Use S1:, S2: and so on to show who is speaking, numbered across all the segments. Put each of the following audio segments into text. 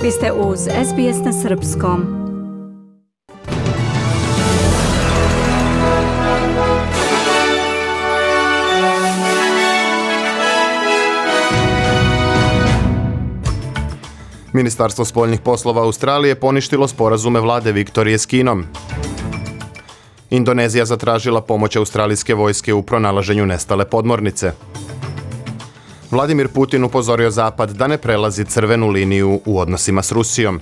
S1: Vi ste uz SBS na srpskom.
S2: Ministarstvo spoljnih poslova Australije poništilo sporazume vlade Viktorije s Kinom. Indonezija zatražila pomoć australijske vojske u pronalaženju nestale podmornice. Vladimir Putin upozorio Zapad da ne prelazi crvenu liniju u odnosima s Rusijom.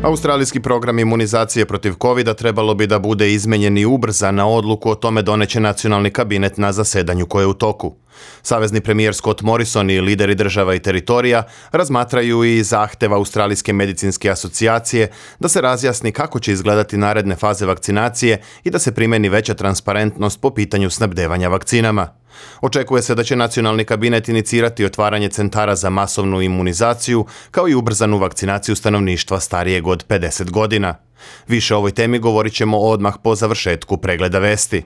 S2: Australijski program imunizacije protiv covida trebalo bi da bude izmenjen i ubrzan, na odluku o tome doneće nacionalni kabinet na zasedanju koje je u toku. Savezni premijer Scott Morrison i lideri država i teritorija razmatraju i zahtev Australijske medicinske asocijacije da se razjasni kako će izgledati naredne faze vakcinacije i da se primeni veća transparentnost po pitanju snabdevanja vakcinama. Očekuje se da će nacionalni kabinet inicirati otvaranje centara za masovnu imunizaciju, kao i ubrzanu vakcinaciju stanovništva starijeg od 50 godina. Više o ovoj temi govorit ćemo odmah po završetku pregleda vesti.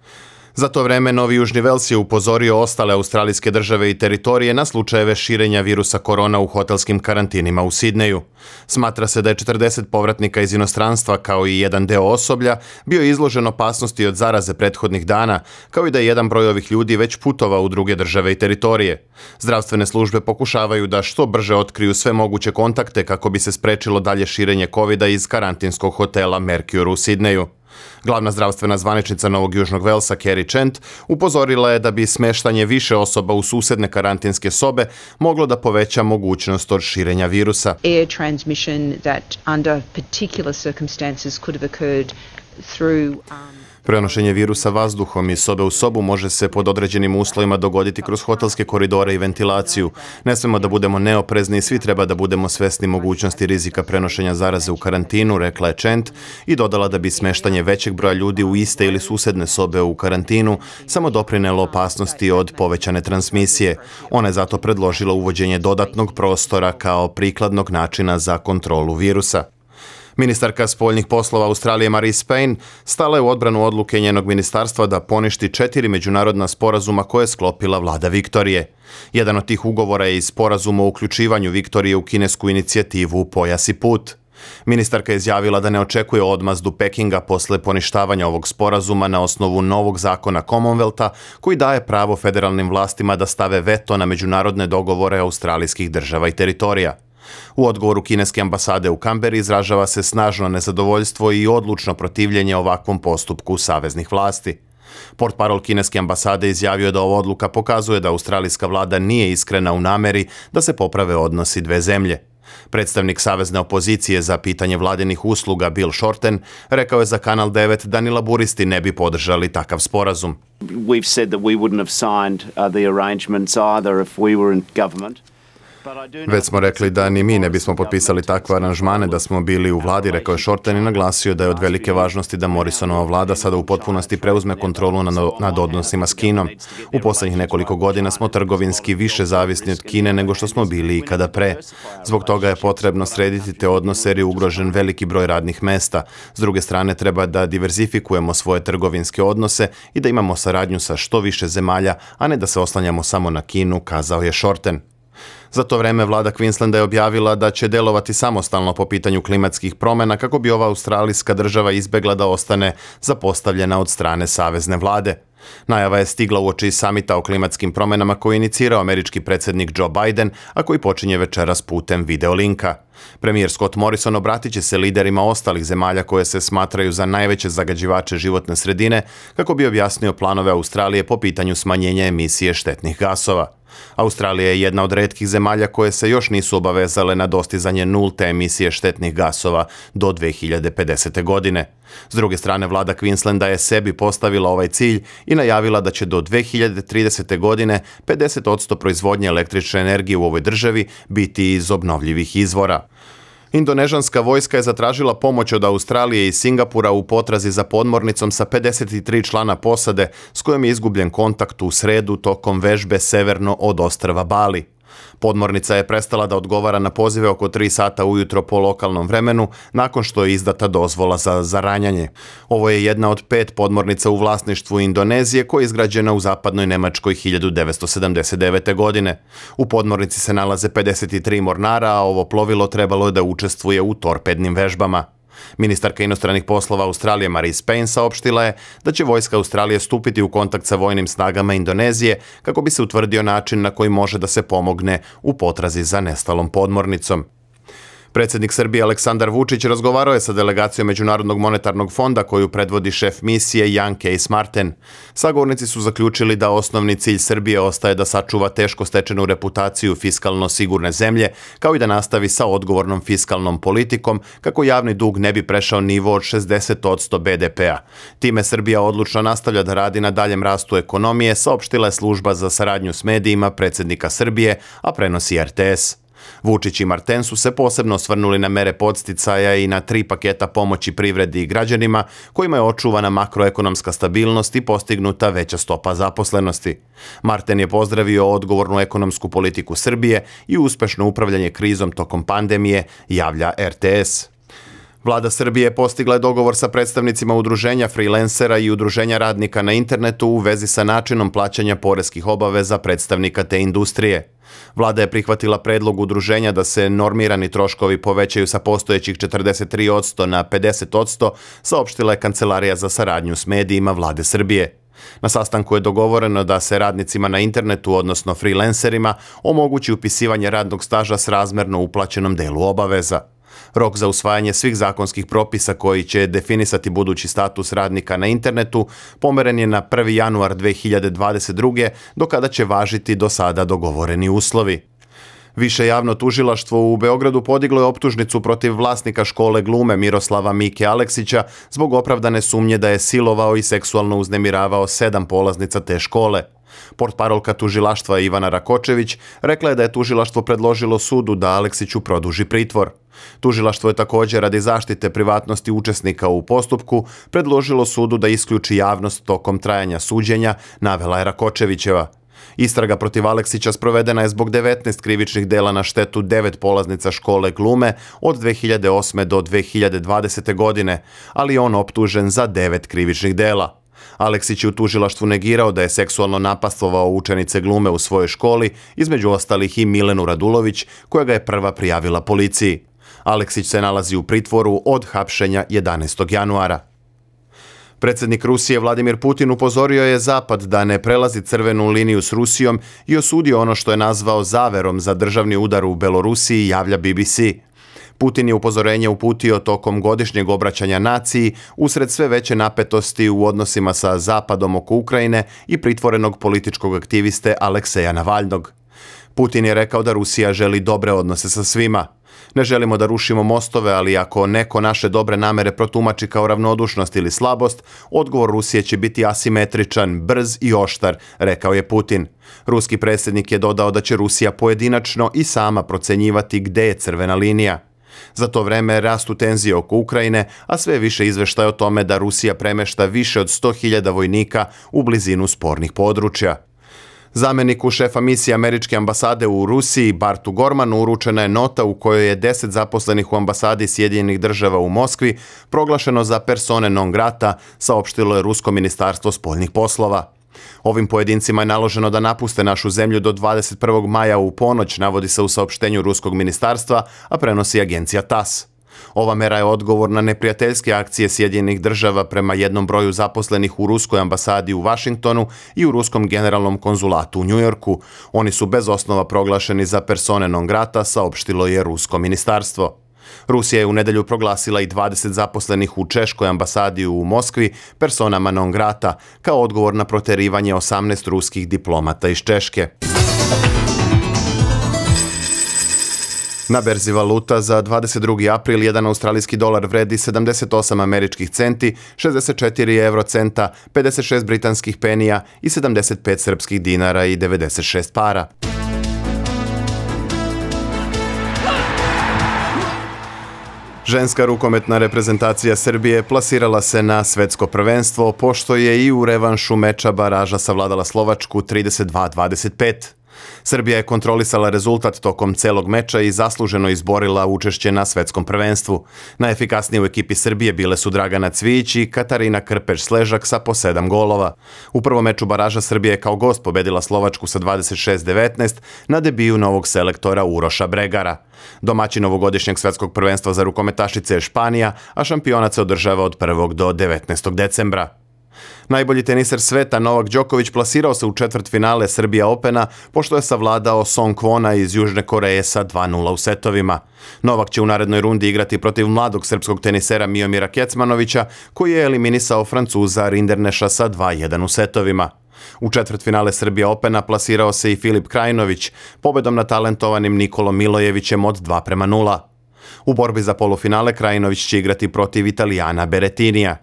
S2: Za to vreme Novi Južni Vels je upozorio ostale australijske države i teritorije na slučajeve širenja virusa korona u hotelskim karantinima u Sidneju. Smatra se da je 40 povratnika iz inostranstva, kao i jedan deo osoblja, bio izložen opasnosti od zaraze prethodnih dana, kao i da je jedan broj ovih ljudi već putovao u druge države i teritorije. Zdravstvene službe pokušavaju da što brže otkriju sve moguće kontakte kako bi se sprečilo dalje širenje covida iz karantinskog hotela Mercure u Sidneju. Glavna zdravstvena zvaničnica Novog Južnog Velsa, Kerry Chant, upozorila je da bi smeštanje više osoba u susedne karantinske sobe moglo da poveća mogućnost od širenja virusa.
S3: Air transmission that under particular circumstances could have occurred through
S2: Prenošenje virusa vazduhom iz sobe u sobu može se pod određenim uslovima dogoditi kroz hotelske koridore i ventilaciju. Ne smemo da budemo neoprezni i svi treba da budemo svesni mogućnosti rizika prenošenja zaraze u karantinu, rekla je Chant, i dodala da bi smeštanje većeg broja ljudi u iste ili susedne sobe u karantinu samo doprinelo opasnosti od povećane transmisije. Ona je zato predložila uvođenje dodatnog prostora kao prikladnog načina za kontrolu virusa. Ministarka spoljnih poslova Australije Marise Payne stala je u odbranu odluke njenog ministarstva da poništi 4 međunarodna sporazuma koje je sklopila vlada Viktorije. Jedan od tih ugovora je i sporazum o uključivanju Viktorije u kinesku inicijativu Pojas i put. Ministarka je izjavila da ne očekuje odmazdu Pekinga posle poništavanja ovog sporazuma na osnovu novog zakona Commonwealtha koji daje pravo federalnim vlastima da stave veto na međunarodne dogovore australijskih država i teritorija. U odgovoru kineske ambasade u Kamberi izražava se snažno nezadovoljstvo i odlučno protivljenje ovakvom postupku saveznih vlasti. Portparol kineske ambasade izjavio da ova odluka pokazuje da australijska vlada nije iskrena u nameri da se poprave odnosi dve zemlje. Predstavnik savezne opozicije za pitanje vladinih usluga Bill Shorten rekao je za Kanal 9 da ni laburisti ne bi podržali takav sporazum.
S4: We've said that we wouldn't have signed the arrangements either if we were in government.
S2: Već smo rekli da ni mi ne bismo potpisali takve aranžmane da smo bili u vladi, rekao je Shorten i naglasio da je od velike važnosti da Morrisonova vlada sada u potpunosti preuzme kontrolu nad odnosima s Kinom. U posljednjih nekoliko godina smo trgovinski više zavisni od Kine nego što smo bili ikada pre. Zbog toga je potrebno srediti te odnose jer je ugrožen veliki broj radnih mesta. S druge strane treba da diverzifikujemo svoje trgovinske odnose i da imamo saradnju sa što više zemalja, a ne da se oslanjamo samo na Kinu, kazao je Shorten. Za to vreme vlada Queenslanda je objavila da će delovati samostalno po pitanju klimatskih promjena kako bi ova australijska država izbegla da ostane zapostavljena od strane savezne vlade. Najava je stigla uoči samita o klimatskim promjenama koji je inicirao američki predsjednik Joe Biden, a koji počinje večeras putem videolinka. Premijer Scott Morrison obratit će se liderima ostalih zemalja koje se smatraju za najveće zagađivače životne sredine kako bi objasnio planove Australije po pitanju smanjenja emisije štetnih gasova. Australija je jedna od retkih zemalja koje se još nisu obavezale na dostizanje nulte emisije štetnih gasova do 2050. godine. S druge strane, vlada Queenslanda je sebi postavila ovaj cilj i najavila da će do 2030. godine 50% proizvodnje električne energije u ovoj državi biti iz obnovljivih izvora. Indonežanska vojska je zatražila pomoć od Australije i Singapura u potrazi za podmornicom sa 53 člana posade s kojom je izgubljen kontakt u sredu tokom vežbe severno od ostrva Bali. Podmornica je prestala da odgovara na pozive oko 3 sata ujutro po lokalnom vremenu, nakon što je izdata dozvola za zaranjanje. Ovo je jedna od 5 podmornica u vlasništvu Indonezije koja je izgrađena u zapadnoj Nemačkoj 1979. godine. U podmornici se nalaze 53 mornara, a ovo plovilo trebalo je da učestvuje u torpednim vežbama. Ministarka inostranih poslova Australije Marise Payne saopštila je da će vojska Australije stupiti u kontakt sa vojnim snagama Indonezije kako bi se utvrdio način na koji može da se pomogne u potrazi za nestalom podmornicom. Predsjednik Srbije Aleksandar Vučić razgovarao je sa delegacijom Međunarodnog monetarnog fonda koju predvodi šef misije Jan Kees Marten. Sagovornici su zaključili da osnovni cilj Srbije ostaje da sačuva teško stečenu reputaciju fiskalno sigurne zemlje, kao i da nastavi sa odgovornom fiskalnom politikom kako javni dug ne bi prešao nivo od 60% BDP-a. Time Srbija odlučno nastavlja da radi na daljem rastu ekonomije, saopštila je služba za saradnju s medijima predsjednika Srbije, a prenosi RTS. Vučić i Marten su se posebno osvrnuli na mere podsticaja i na 3 paketa pomoći privredi i građanima kojima je očuvana makroekonomska stabilnost i postignuta veća stopa zaposlenosti. Marten je pozdravio odgovornu ekonomsku politiku Srbije i uspešno upravljanje krizom tokom pandemije, javlja RTS. Vlada Srbije postigla je dogovor sa predstavnicima udruženja freelancera i udruženja radnika na internetu u vezi sa načinom plaćanja poreskih obaveza predstavnika te industrije. Vlada je prihvatila predlog udruženja da se normirani troškovi povećaju sa postojećih 43% na 50%, saopštila je Kancelarija za saradnju s medijima Vlade Srbije. Na sastanku je dogovoreno da se radnicima na internetu, odnosno freelancerima, omogući upisivanje radnog staža s razmerno uplaćenom delu obaveza. Rok za usvajanje svih zakonskih propisa koji će definisati budući status radnika na internetu pomeren je na 1. januar 2022. do kada će važiti do sada dogovoreni uslovi. Više javno tužilaštvo u Beogradu podiglo je optužnicu protiv vlasnika škole glume Miroslava Mike Aleksića zbog opravdane sumnje da je silovao i seksualno uznemiravao 7 polaznica te škole. Portparolka tužilaštva Ivana Rakočević rekla je da je tužilaštvo predložilo sudu da Aleksiću produži pritvor. Tužilaštvo je također radi zaštite privatnosti učesnika u postupku predložilo sudu da isključi javnost tokom trajanja suđenja, navela je Rakočevićeva. Istraga protiv Aleksića sprovedena je zbog 19 krivičnih dela na štetu 9 polaznica škole glume od 2008. do 2020. godine, ali je on optužen za 9 krivičnih dela. Aleksić je u tužilaštvu negirao da je seksualno napastvovao učenice glume u svojoj školi, između ostalih i Milenu Radulović, koja ga je prva prijavila policiji. Aleksić se nalazi u pritvoru od hapšenja 11. januara. Predsjednik Rusije Vladimir Putin upozorio je Zapad da ne prelazi crvenu liniju s Rusijom i osudio ono što je nazvao zaverom za državni udar u Belorusiji, javlja BBC. Putin je upozorenje uputio tokom godišnjeg obraćanja naciji usred sve veće napetosti u odnosima sa Zapadom oko Ukrajine i pritvorenog političkog aktiviste Alekseja Navalnog. Putin je rekao da Rusija želi dobre odnose sa svima. Ne želimo da rušimo mostove, ali ako neko naše dobre namere protumači kao ravnodušnost ili slabost, odgovor Rusije će biti asimetričan, brz i oštar, rekao je Putin. Ruski predsjednik je dodao da će Rusija pojedinačno i sama procenjivati gde je crvena linija. Za to vreme rastu tenzije oko Ukrajine, a sve više izveštaja o tome da Rusija premešta više od 100.000 vojnika u blizinu spornih područja. Zamjeniku šefa misije američke ambasade u Rusiji, Bartu Gormanu, uručena je nota u kojoj je 10 zaposlenih u ambasadi Sjedinjenih Država u Moskvi proglašeno za persone non grata, saopštilo je Rusko ministarstvo spoljnih poslova. Ovim pojedincima je naloženo da napuste našu zemlju do 21. maja u ponoć, navodi se u saopštenju Ruskog ministarstva, a prenosi agencija TASS. Ova mera je odgovor na neprijateljske akcije Sjedinjenih Država prema jednom broju zaposlenih u Ruskoj ambasadi u Vašingtonu i u Ruskom generalnom konzulatu u Njujorku. Oni su bez osnova proglašeni za persone non grata, saopštilo je Rusko ministarstvo. Rusija je u nedjelju proglasila i 20 zaposlenih u Češkoj ambasadi u Moskvi personama non grata, kao odgovor na proterivanje 18 ruskih diplomata iz Češke. Na berzi valuta za 22. april jedan australijski dolar vredi 78 američkih centi, 64 eurocenta, 56 britanskih penija i 75 srpskih dinara i 96 para. Ženska rukometna reprezentacija Srbije plasirala se na svetsko prvenstvo, pošto je i u revanšu meča baraža savladala Slovačku 32-25. Srbija je kontrolisala rezultat tokom celog meča i zasluženo izborila učešće na svetskom prvenstvu. Najefikasnije u ekipi Srbije bile su Dragana Cvijić i Katarina Krpeš-Sležak sa po 7 golova. U prvom meču baraža Srbija je kao gost pobedila Slovačku sa 26-19 na debiju novog selektora Uroša Bregara. Domaćin ovogodišnjeg svetskog prvenstva za rukometašice je Španija, a šampionat se održava od 1. do 19. decembra. Najbolji teniser sveta Novak Đoković plasirao se u četvrtfinale Srbija Opena pošto je savladao Song Kwona iz Južne Koreje sa 2:0 u setovima. Novak će u narednoj rundi igrati protiv mladog srpskog tenisera Miomira Kecmanovića koji je eliminisao Francuza Rinderneša sa 2:1 u setovima. U četvrtfinale Srbija Opena plasirao se i Filip Krajinović pobedom nad talentovanim Nikolom Milojevićem od 2:0. U borbi za polufinale Krajinović će igrati protiv Italijana Berettinija.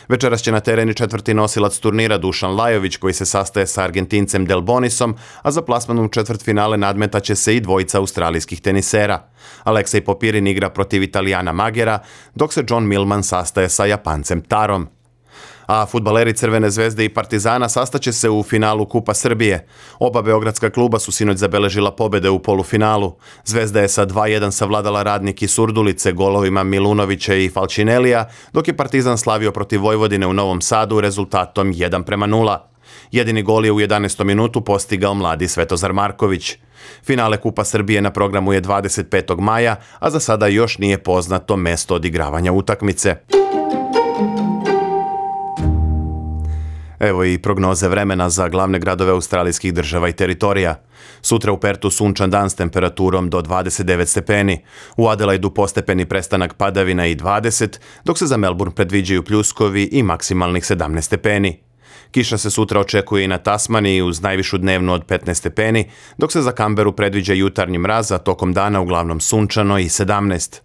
S2: Večeras će na teren i četvrti nosilac turnira Dušan Lajović koji se sastaje sa Argentincem Del Bonisom, a za plasman u četvrtfinale nadmetaće se i dvojica australijskih tenisera. Aleksej Popirin igra protiv Italijana Magera, dok se John Millman sastaje sa Japancem Tarom. A fudbaleri Crvene zvezde i Partizana sastaće se u finalu Kupa Srbije. Oba beogradska kluba su sinoć zabeležila pobede u polufinalu. Zvezda je sa 2:1 savladala Radnik iz Surdulice golovima Milunovića i Falčinelija, dok je Partizan slavio protiv Vojvodine u Novom Sadu rezultatom 1:0. Jedini gol je u 11. minutu postigao mladi Svetozar Marković. Finale Kupa Srbije na programu je 25. maja, a za sada još nije poznato mesto odigravanja utakmice. Evo i prognoze vremena za glavne gradove australijskih država i teritorija. Sutra u Pertu sunčan dan s temperaturom do 29 stepeni. U Adelaidu postepeni prestanak padavina i 20, dok se za Melbourne predviđaju pljuskovi i maksimalnih 17 stepeni. Kiša se sutra očekuje i na Tasmaniji uz najvišu dnevnu od 15 stepeni, dok se za Kamberu predviđa jutarnji mraz, a tokom dana uglavnom sunčano i 17.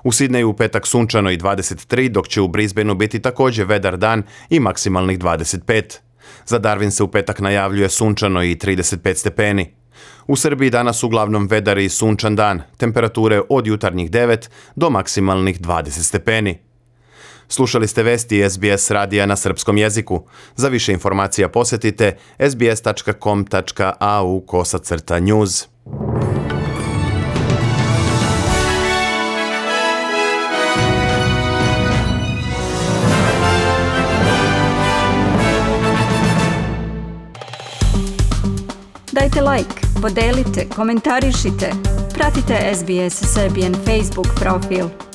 S2: U Sidneju u petak sunčano i 23, dok će u Brisbaneu biti također vedar dan i maksimalnih 25. Za Darwin se u petak najavljuje sunčano i 35 stepeni. U Srbiji danas uglavnom vedar i sunčan dan, temperature od jutarnjih 9 do maksimalnih 20 stepeni. Slušali ste vesti SBS radija na srpskom jeziku. Za više informacija posjetite sbs.com.au/news.
S1: Dajte like, podelite, komentarišite. Pratite SBS Serbian Facebook profil.